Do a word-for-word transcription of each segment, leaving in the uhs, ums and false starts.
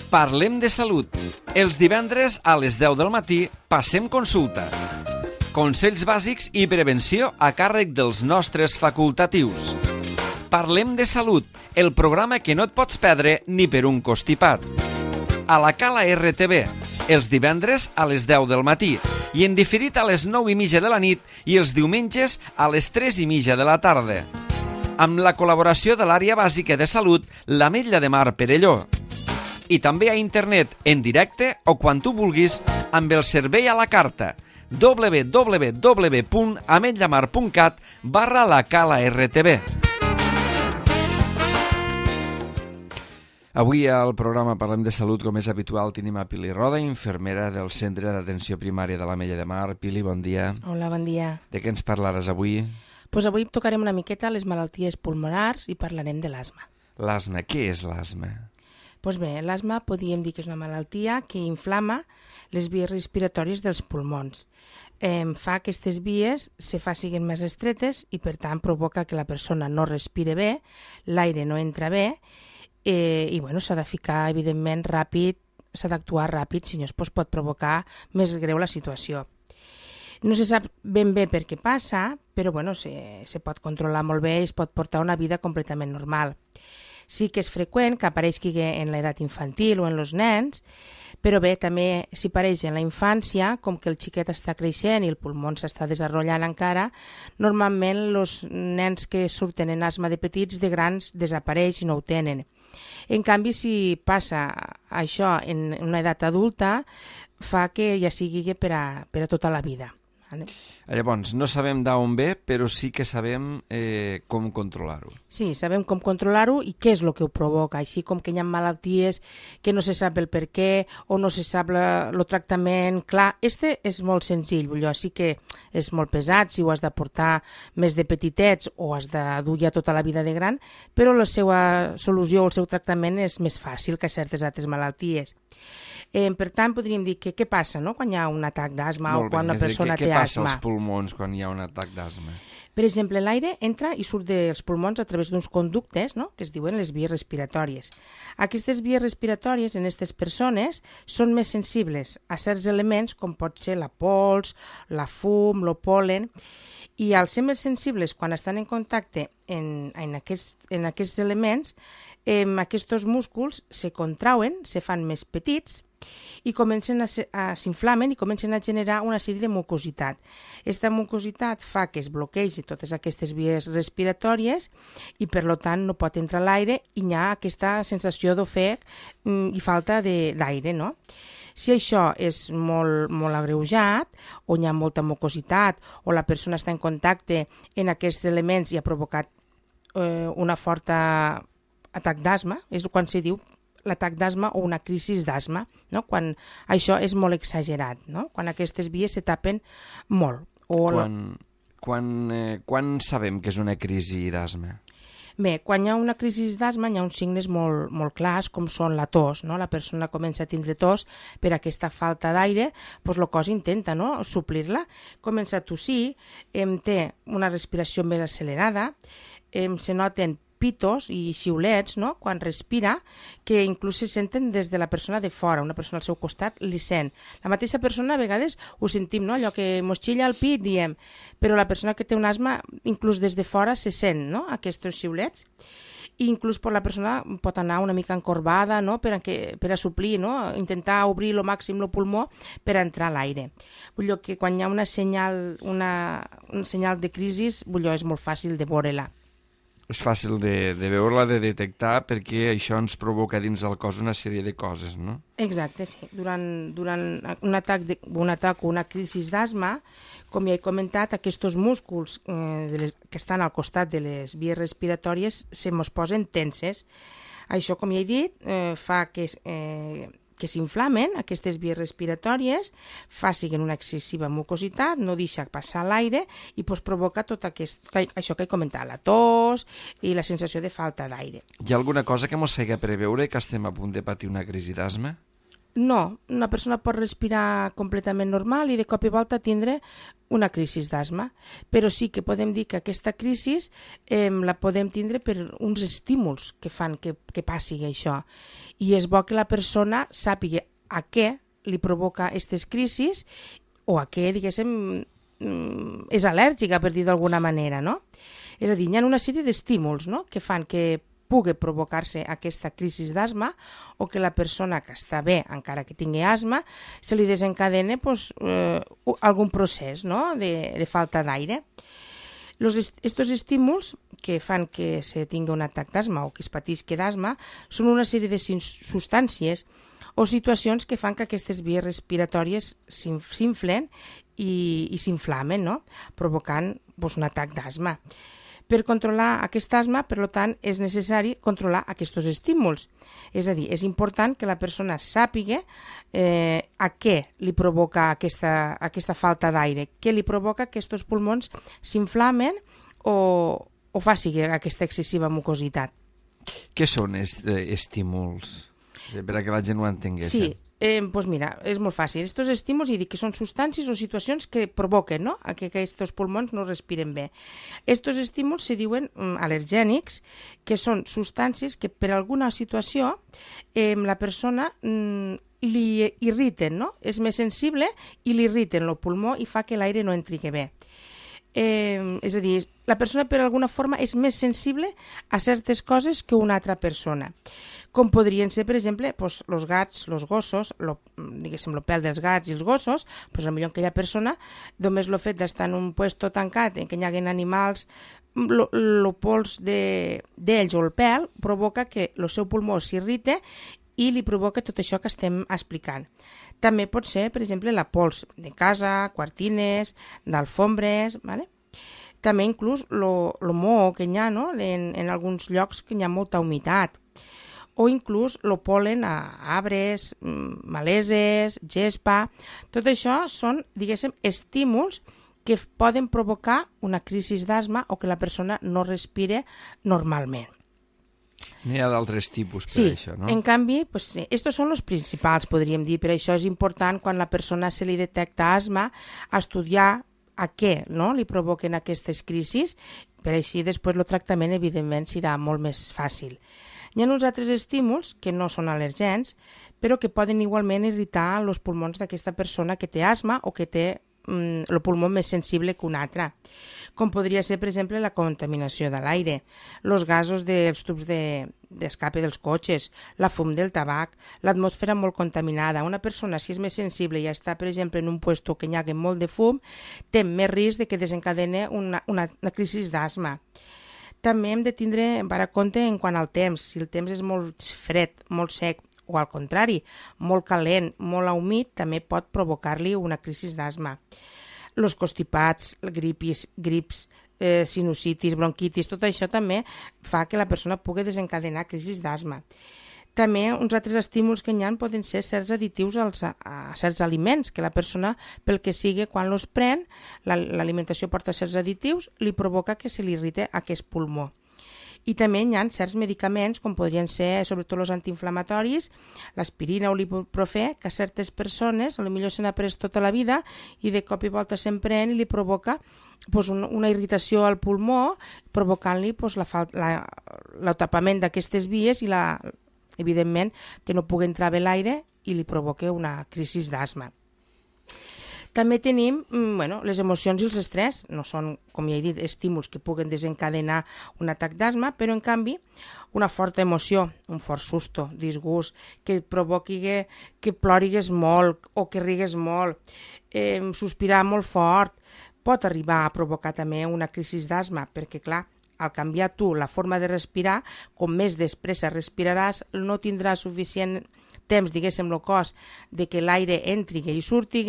Parlem de salut. Els divendres a les deu del matí passem consulta. Consells bàsics i prevenció a càrrec dels nostres facultatius. Parlem de salut, el programa que no et pots perdre ni per un constipat. A la Cala R T V, els divendres a les deu del matí i en diferit a les nou i mitja de la nit i els diumenges a les tres i mitja de la tarda. Amb la col·laboració de l'àrea bàsica de salut, l'Ametlla de Mar Perelló. I també a internet, en directe o quan tu vulguis, amb el servei a la carta w w w punt ametllamar punt cat barra la Cala R T V. Avui al programa Parlem de Salut, com és habitual, tenim a Pili Roda, infermera del Centre d'Atenció Primària de l'Ametlla de Mar. Pili, bon dia. Hola, bon dia. De què ens parlaràs avui? Pues avui tocarem una miqueta les malalties pulmonars i parlarem de l'asma. L'asma, què és l'asma? Pues bé, l'asma podríem dir que és una malaltia que inflama les vies respiratòries dels pulmons. Eh, fa que aquestes vies se facin més estretes i, per tant, provoca que la persona no respire bé, l'aire no entra bé, eh, i bueno, s'ha de ficar, evidentment, ràpid, s'ha d'actuar ràpid, si no es pot provocar més greu la situació. No se sap ben bé per què passa, però bueno, se, se pot controlar molt bé i es pot portar una vida completament normal. Sí que és freqüent que apareixi en l'edat infantil o en els nens, però bé, també si apareix en la infància, com que el xiquet està creixent i el pulmó s'està desenvolupant encara, normalment els nens que surten en asma de petits, de grans, desapareix i no ho tenen. En canvi, si passa això en una edat adulta, fa que ja sigui per a, per a tota la vida. Llavors, no sabem d'on ve, però sí que sabem eh, com controlar-ho. Sí, sabem com controlar-ho i què és el que ho provoca, així com que hi ha malalties que no se sap el per què o no se sap el tractament. Clar, este és molt senzill, allò sí que és molt pesat si ho has de portar més de petitets o has de dur ja tota la vida de gran, però la seva solució o el seu tractament és més fàcil que certes altres malalties. Eh, per tant, podríem dir que què passa no? Quan hi ha un atac d'asma o quan una persona té asma. Què passa als pulmons quan hi ha un atac d'asma? Per exemple, l'aire entra i surt dels pulmons a través d'uns conductes, no? Que es diuen les vies respiratòries. Aquestes vies respiratòries en aquestes persones són més sensibles a certs elements com pot ser la pols, la fum, el pol·len, i al ser més sensibles quan estan en contacte en, en, aquest, en aquests elements, eh, aquests músculs se contrauen, se fan més petits i comencen a, a s'inflamen i comencen a generar una sèrie de mucositat. Aquesta mucositat fa que es bloquegi totes aquestes vies respiratòries i per tant no pot entrar l'aire i hi ha aquesta sensació d'ofec i falta d'aire, no? Si això és molt, molt agreujat, o hi ha molta mucositat, o la persona està en contacte en aquests elements i ha provocat eh, una forta atac d'asma, és quan se diu l'atac d'asma o una crisi d'asma, no? Quan això és molt exagerat, no? Quan aquestes vies se tapen molt. O quan, quan, eh, quan sabem que és una crisi d'asma? Bé, quan hi ha una crisi d'asma hi ha uns signes molt, molt clars com són la tos, no? La persona comença a tindre tos per aquesta falta d'aire, doncs el cos intenta no? suplir-la, comença a tossir, eh, té una respiració més accelerada, eh, se noten pitos i xiulets no? Quan respira, que inclús se senten des de la persona de fora, una persona al seu costat li sent. La mateixa persona a vegades ho sentim, no? Allò que mos xilla el pit, diem, però la persona que té un asma, inclús des de fora se sent no? Aquests xiulets. I inclús per la persona pot anar una mica encorbada no? per, a que, per a suplir, no? Intentar obrir el màxim el pulmó per a entrar l'aire. Vull dir que quan hi ha una senyal, una, un senyal de crisi, vull dir, és molt fàcil de veure-la. És fàcil de, de veure-la, de detectar, perquè això ens provoca dins del cos una sèrie de coses, no? Exacte, sí. Durant, durant un, atac de, un atac o una crisi d'asma, com ja he comentat, aquests músculs eh, de les, que estan al costat de les vies respiratòries se mos posen tenses. Això, com ja he dit, eh, fa que... Eh, que s'inflamen aquestes vies respiratòries, facin una excessiva mucositat, no deixa passar l'aire i pues, provoca tot aquest, això que he comentat, la tos i la sensació de falta d'aire. Hi ha alguna cosa que ens faci preveure que estem a punt de patir una crisi d'asma? No, una persona pot respirar completament normal i de cop i volta tindre una crisi d'asma, però sí que podem dir que aquesta crisi eh, la podem tindre per uns estímuls que fan que, que passi això. I és bo que la persona sàpiga a què li provoca aquestes crisis o a què, diguéssim, és al·lèrgica, per dir d'alguna manera, no? És a dir, hi ha una sèrie d'estímuls, no?, que fan que pugui provocar-se aquesta crisi d'asma o que la persona que està bé, encara que tingui asma, se li desencadena pues, eh, algun procés, no?, de, de falta d'aire. Estos estímuls que fan que se tingui un atac d'asma o que es patisqui d'asma són una sèrie de substàncies o situacions que fan que aquestes vies respiratòries s'inflen i, i s'inflamen, no?, provocant pues, un atac d'asma. Per controlar aquest asma, per tant, és necessari controlar aquests estímuls. És a dir, és important que la persona sàpiga eh, a què li provoca aquesta, aquesta falta d'aire, què li provoca que aquests pulmons s'inflamen o, o faci aquesta excessiva mucositat. Què són est estímuls? Per a que la gent ho entengués. Sí, eh, doncs mira, és molt fàcil. Estos estímuls, i dic que són substàncies o situacions que provoquen, no?, que aquests pulmons no respiren bé. Estos estímuls se diuen mm, al·lergènics, que són substàncies que per alguna situació eh, la persona mm, li irriten, no?, és més sensible i li irriten el pulmó i fa que l'aire no entri bé. Eh, és a dir, la persona per alguna forma és més sensible a certes coses que una altra persona, com podrien ser, per exemple, pues, els gats, els gossos, lo, diguéssim, el pèl dels gats i els gossos, pues, potser aquella persona, només el fet d'estar en un puesto tancat en què hi hagi animals, el pols d'ells de, o el pèl provoca que el seu pulmó s'irrite i li provoca tot això que estem explicant. També pot ser, per exemple, la pols de casa, quartines, d'alfombres, ¿vale? També inclús el moho que hi ha, no?, en, en alguns llocs que hi ha molta humitat, o inclús el polen a arbres, maleses, gespa. Tot això són, diguéssim, estímuls que poden provocar una crisi d'asma o que la persona no respire normalment. N'hi ha d'altres tipus per sí, això, no? Sí, en canvi, pues, sí, estos són els principals, podríem dir. Per això és important, quan la persona se li detecta asma, estudiar a què, no?, li provoquen aquestes crisis, per així després el tractament, evidentment, serà molt més fàcil. Hi ha uns altres estímuls que no són al·lergens, però que poden igualment irritar els pulmons d'aquesta persona que té asma o que té mm, el pulmó més sensible que un altre, com podria ser, per exemple, la contaminació de l'aire, els gasos dels tubs d'escape de, dels cotxes, la fum del tabac, l'atmosfera molt contaminada. Una persona, si és més sensible i està, per exemple, en un lloc que hi hagi molt de fum, té més risc de que desencadeni una, una, una crisi d'asma. També hem de tindre per a compte en quant al temps. Si el temps és molt fred, molt sec, o al contrari, molt calent, molt humit, també pot provocar-li una crisi d'asma. Els constipats, gripis, grips, eh, sinusitis, bronquitis, tot això també fa que la persona pugui desencadenar crisis d'asma. També uns altres estímuls que hi ha poden ser certs additius als, a certs aliments, que la persona, pel que sigui, quan els pren, l'alimentació porta certs additius, li provoca que se li irrite aquest pulmó. I també hi ha certs medicaments, com podrien ser sobretot els antiinflamatoris, l'aspirina o l'ibuprofè, que a certes persones potser se n'ha pres tota la vida i de cop i volta se'n pren i li provoca pues, un, una irritació al pulmó, provocant-li pues, l'atapament d'aquestes vies i, la, evidentment, que no pugui entrar bé l'aire i li provoca una crisi d'asma. També tenim bueno, les emocions i els estrès. No són, com ja he dit, estímuls que puguen desencadenar un atac d'asma, però en canvi una forta emoció, un fort susto, disgust, que provoqui que plorigues molt o que rigues molt, eh, sospirar molt fort, pot arribar a provocar també una crisi d'asma, perquè clar, al canviar tu la forma de respirar, com més despressa respiraràs, no tindràs suficient temps, diguéssim, el cos, de que l'aire entri i surti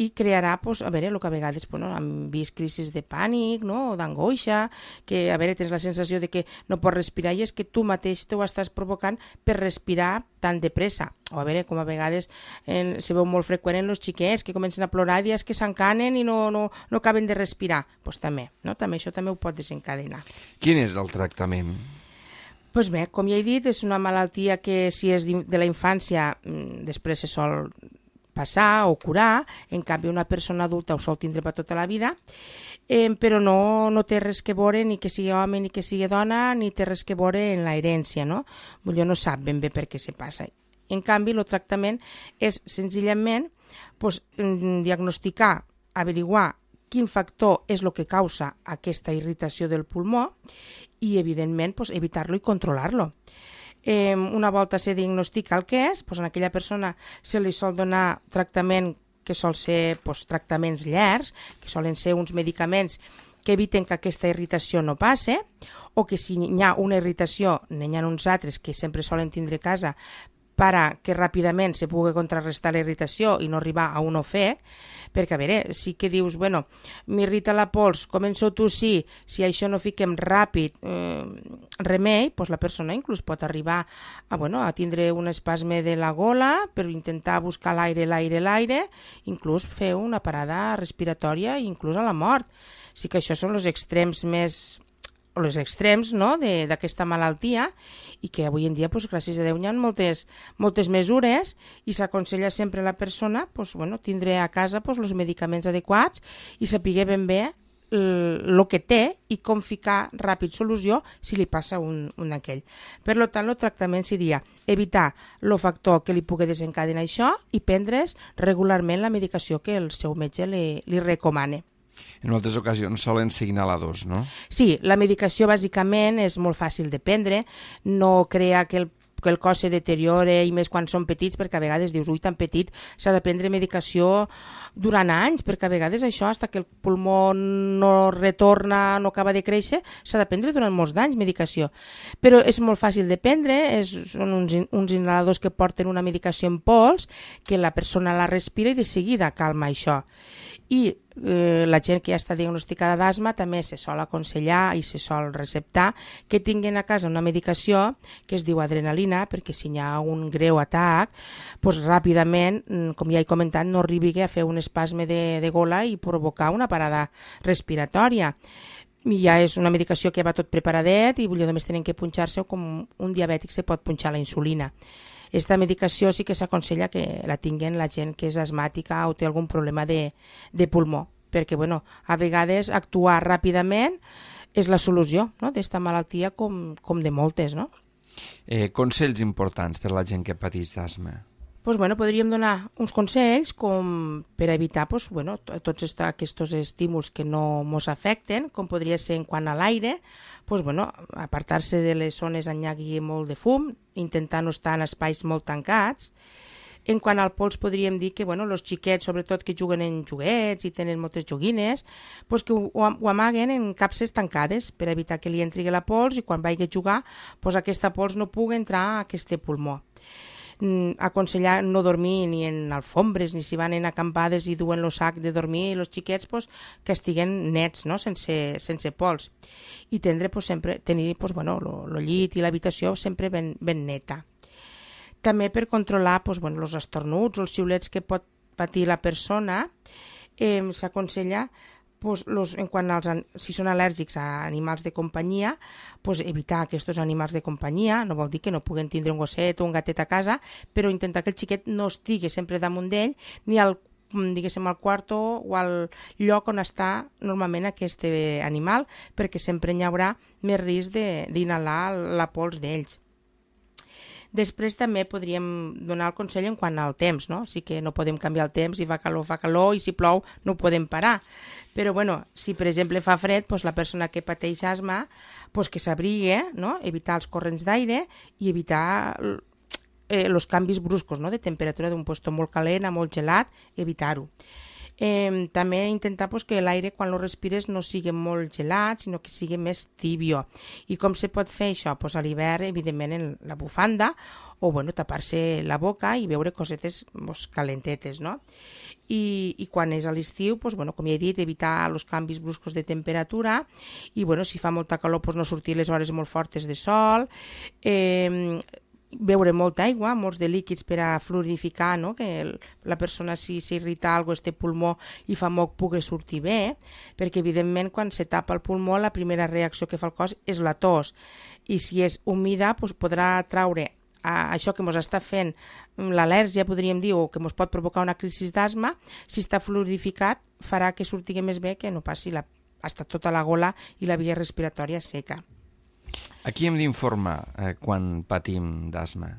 i crearà, pues, a veure, el que a vegades pues, no, hem vist crisis de pànic, no, o d'angoixa, que a veure, tens la sensació de que no pots respirar i és que tu mateix t'ho estàs provocant per respirar tan de pressa. O a veure, com a vegades eh, se veu molt freqüent en els xiquets que comencen a plorar i és que s'encanen i no, no, no acaben de respirar. Doncs pues també, no? També això també ho pot desencadenar. Quin és el tractament? Pues bé, com ja he dit, és una malaltia que si és de la infància després se sol passar o curar, en canvi una persona adulta ho sol tindre per tota la vida, eh, però no, no té res que veure ni que sigui home ni que sigui dona, ni té res que veure en la herència, no? Vull dir, no sap ben bé per què se passa. En canvi, el tractament és senzillament pues, diagnosticar, averiguar quin factor és el que causa aquesta irritació del pulmó i, evidentment, pues, evitar-lo i controlar-lo. Eh, una volta se diagnostica el que és, pues, en aquella persona se li sol donar tractament que sol ser pues, tractaments llargs, que solen ser uns medicaments que eviten que aquesta irritació no passe, o que si hi ha una irritació, n'hi ha uns altres que sempre solen tindre a casa para que ràpidament se pugui contrarrestar la irritació i no arribar a un ofec, perquè, a veure, sí que dius, bueno, m'irrita la pols, començo a tossir, si això no fiquem ràpid eh, remei, doncs la persona inclús pot arribar a, bueno, a tindre un espasme de la gola per intentar buscar l'aire, l'aire, l'aire, inclús fer una parada respiratòria i inclús a la mort. Sí que això són els extrems més o els extrems no, d'aquesta malaltia i que avui en dia, pues, gràcies a Déu, hi ha moltes, moltes mesures i s'aconsella sempre a la persona pues, bueno, tindre a casa pues, els medicaments adequats i saber ben bé el que té i com ficar ràpid solució si li passa un, un aquell. Per tant, el tractament seria evitar el factor que li pugui desencadenar això i prendre's regularment la medicació que el seu metge li, li recomana. En moltes ocasions solen ser inhaladors, no? Sí, la medicació bàsicament és molt fàcil de prendre, no crea que el que el cos se deteriore i més quan són petits, perquè a vegades dius, ui, tan petit, s'ha de prendre medicació durant anys, perquè a vegades això, fins que el pulmó no retorna, no acaba de créixer, s'ha de prendre durant molts d'anys medicació. Però és molt fàcil de prendre, és, són uns, uns inhaladors que porten una medicació en pols, que la persona la respira i de seguida calma això. I eh, la gent que ja està diagnosticada d'asma també se sol aconsellar i se sol receptar que tinguin a casa una medicació que es diu adrenalina, perquè si hi ha un greu atac, doncs ràpidament, com ja he comentat, no arribi a fer un espasme de, de gola i provocar una parada respiratòria. I ja és una medicació que va tot preparadet i només tenen que punxar-se com un diabètic se pot punxar la insulina. Esta medicació sí que s'aconsella que la tinguen la gent que és asmàtica o té algun problema de, de pulmó, perquè bueno, a vegades actuar ràpidament és la solució no? d'esta malaltia com, com de moltes. No? Eh, consells importants per a la gent que pateix d'asma. Pues, bueno, podríem donar uns consells com per evitar pues, bueno, tots aquests estímuls que no ens afecten, com podria ser en quant a l'aire, pues, bueno, apartar-se de les zones on hi hagi molt de fum, intentar no estar en espais molt tancats. En quant al pols podríem dir que bueno, els xiquets, sobretot que juguen en joguets i tenen moltes joguines, pues que ho, ho amaguen en capses tancades per evitar que li entri la pols i quan vagi a jugar pues, aquesta pols no pugui entrar a aquest pulmó. Aconsellar no dormir ni en alfombres ni si van en acampades i duen el sac de dormir els xiquets pues, que estiguen nets, no? sense, sense pols i tendre, pues, sempre, tenir pues, bueno, el llit i l'habitació sempre ben, ben neta. També per controlar pues, bueno, els estornuts o els xiulets que pot patir la persona eh, s'aconsella pues, los, en quant als, si són al·lèrgics a animals de companyia, pues, evitar aquests animals de companyia, no vol dir que no puguen tindre un gosset o un gatet a casa, però intentar que el xiquet no estigui sempre damunt d'ell, ni al, diguéssim, al quarto o al lloc on està normalment aquest animal, perquè sempre hi haurà més risc d'inhalar la pols d'ells. Després també podríem donar el consell en quant al temps, no? Sí que no podem canviar el temps, si fa calor, fa calor, i si plou no ho podem parar. Però bueno, si per exemple fa fred, doncs la persona que pateix asma doncs que s'abrigui, no? Evitar els corrents d'aire i evitar eh, els canvis bruscos, no? De temperatura d'un lloc molt calent a molt gelat, evitar-ho. Eh, també intentar pues, que l'aire quan lo respires no sigui molt gelat, sinó que sigui més tibio. I com se pot fer això? Pues, a l'hivern, evidentment, en la bufanda, o bueno, tapar-se la boca i beure cosetes pues, calentetes. No? I, I quan és a l'estiu, pues, bueno, com ja he dit, evitar els canvis bruscos de temperatura i bueno, si fa molta calor, pues, no sortir les hores molt fortes de sol, eh, beure molta aigua, molts de líquids per a fluidificar, no? Que el, la persona si s'irrita alguna cosa, este pulmó i fa moc, pugui sortir bé, perquè evidentment quan se tapa el pulmó la primera reacció que fa el cos és la tos, i si és humida doncs podrà traure a això que ens està fent l'al·lèrgia, podríem dir, o que ens pot provocar una crisi d'asma. Si està fluidificat farà que surti més bé, que no passi la, hasta tota la gola i la via respiratòria seca. A qui hem d'informar eh, quan patim d'asma?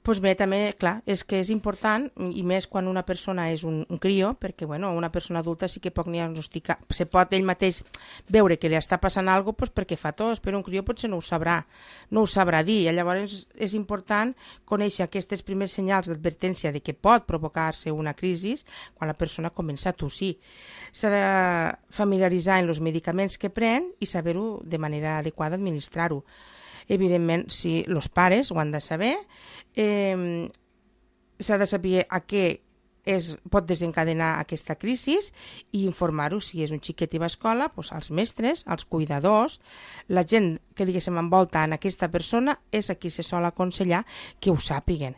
Doncs bé, també, clar, és que és important, i més quan una persona és un, un crió, perquè bueno, una persona adulta sí que pot diagnosticar, se pot ell mateix veure que li està passant alguna cosa doncs perquè fa tos, però un crió potser no ho sabrà, no ho sabrà dir, i llavors és important conèixer aquests primers senyals d'advertència de que pot provocar-se una crisi quan la persona comença a tossir. S'ha de familiaritzar amb els medicaments que pren i saber-ho de manera adequada administrar-ho. Evidentment, si els pares ho han de saber, eh, s'ha de saber a què es pot desencadenar aquesta crisi i informar-ho. Si és un xiquet i va a escola, doncs als mestres, als cuidadors, la gent que diguéssim envolta en aquesta persona és a qui se sol aconsellar que ho sàpiguen.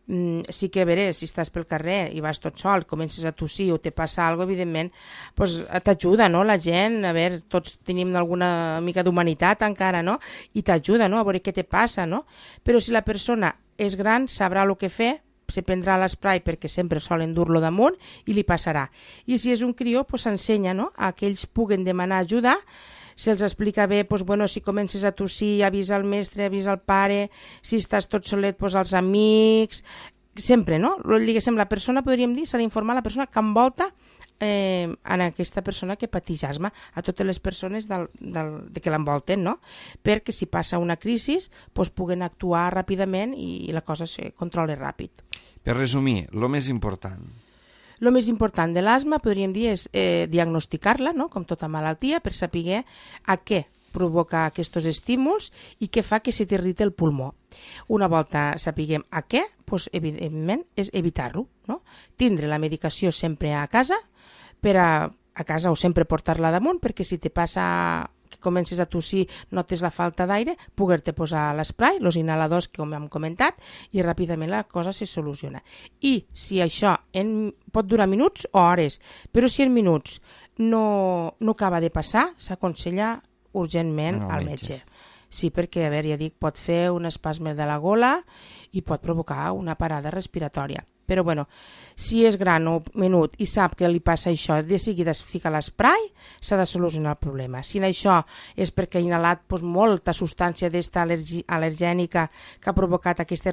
Mm, sí que a veure, si estàs pel carrer i vas tot sol, comences a tossir o te passa alguna cosa, evidentment, pues, t'ajuda, no?, la gent, a veure, tots tenim alguna mica d'humanitat encara, no?, i t'ajuda, no?, a veure què te passa, no?, però si la persona és gran, sabrà el que fer, se prendrà l'esprai perquè sempre solen dur-lo damunt i li passarà. I si és un crió, pues, s'ensenya, no?, a que ells puguen demanar ajuda. Se'ls explica bé, doncs, bueno, si comences a tossir, avisa el mestre, avisa el pare, si estàs tot solet, doncs, als amics, sempre, no? Diguéssim, la persona, podríem dir, s'ha d'informar la persona que envolta eh, en aquesta persona que pateix asma, a totes les persones del, del, de que l'envolten, no? Perquè si passa una crisi, doncs, puguen actuar ràpidament i la cosa se controla ràpid. Per resumir, el més important... El més important de l'asma, podríem dir, és eh, diagnosticar-la, no?, com tota malaltia, per saber a què provoca aquests estímuls i què fa que se t'irriti el pulmó. Una volta sapiguem a què, doncs, evidentment, és evitar-ho, no? Tindre la medicació sempre a casa, per a, a casa o sempre portar-la damunt, perquè si te passa que comences a tossir, notes la falta d'aire, poder-te posar l'esprai, els inhaladors que hem comentat, i ràpidament la cosa se soluciona. I si això en, pot durar minuts o hores, però si en minuts no, no acaba de passar, s'aconsella urgentment no, al metge. metge. Sí, perquè, a veure, ja dic, pot fer un espasme de la gola i pot provocar una parada respiratòria. Però, bueno, si és gran o menut i sap que li passa això, de seguida es fica l'esprai, s'ha de solucionar el problema. Si això és perquè ha inhalat doncs, molta substància d'esta al·lergènica que ha provocat aquesta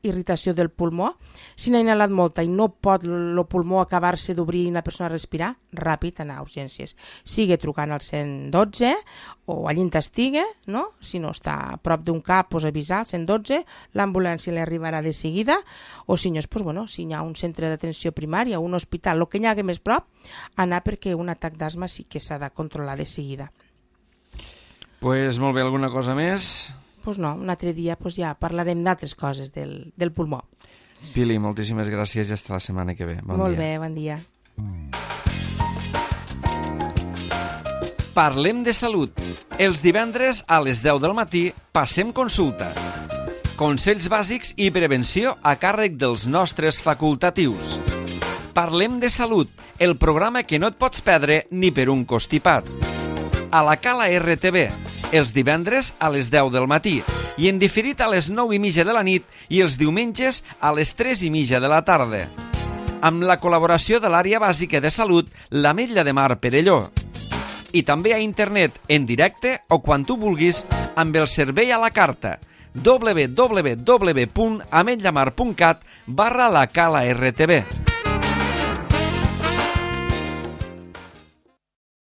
irritació del pulmó, si n'ha inhalat molta i no pot el pulmó acabar-se d'obrir i la persona respirar, ràpid anar a urgències. Sigue trucant al cent dotze o allí on estigui, no? Si no està a prop d'un cap, doncs avisar al cent dotze, l'ambulància li arribarà de seguida, o si no, doncs, bueno, si hi ha un centre d'atenció primària, un hospital, el que hi hagi més prop, anar perquè un atac d'asma sí que s'ha de controlar de seguida. Pues molt bé, alguna cosa més? Pues no, un altre dia pues ja parlarem d'altres coses del, del pulmó. Pili, moltíssimes gràcies i fins la setmana que ve. Bon molt dia. bé, bon dia. Parlem de salut. Els divendres a les deu del matí passem consulta. Consells bàsics i prevenció a càrrec dels nostres facultatius. Parlem de salut, el programa que no et pots perdre ni per un costipat. A la Cala R T V, els divendres a les deu del matí i en diferit a les nou i mitja de la nit i els diumenges a les tres i mitja de la tarda. Amb la col·laboració de l'àrea bàsica de salut, l'Ametlla de Mar Perelló. I també a internet, en directe o quan tu vulguis, amb el servei a la carta w w w punt ametllamar punt cat barra la Cala R T V.